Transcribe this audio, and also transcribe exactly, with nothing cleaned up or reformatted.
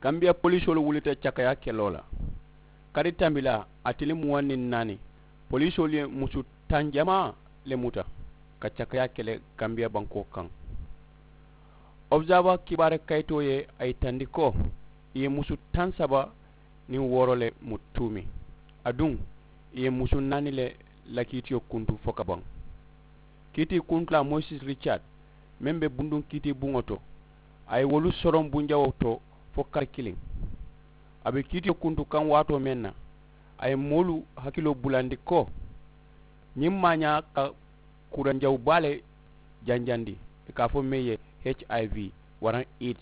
Kambiya polisoolu wulita cakaya keloo la. Kari tambilaa a tili muwaŋ niŋ naani, polisoolu ye musu taŋ jamaa le muta ka cakaya kele kambiya bankoo kaŋ. Observer kibaari kayitoo ye a yitandi ko i ye musu taŋ saba niŋ wooro le mu tuumi. Aduŋ i ye musu naani le la kiitiyo kuntu fo ka baŋ. Kiitii kuntu la moyisis ricaad meŋ be bunduŋ kiitii buŋo to, a ye wolu soroŋ bunjawoo to fo kari kiliŋ. A be kiitiyo kuntu kaŋ waatoo meŋ na, a ye moolu hakiloo bulandi ko ñiŋ maañaa ka kuranjawu baa le janjandi, i ka a fo meŋ ye hiv waraŋ aids.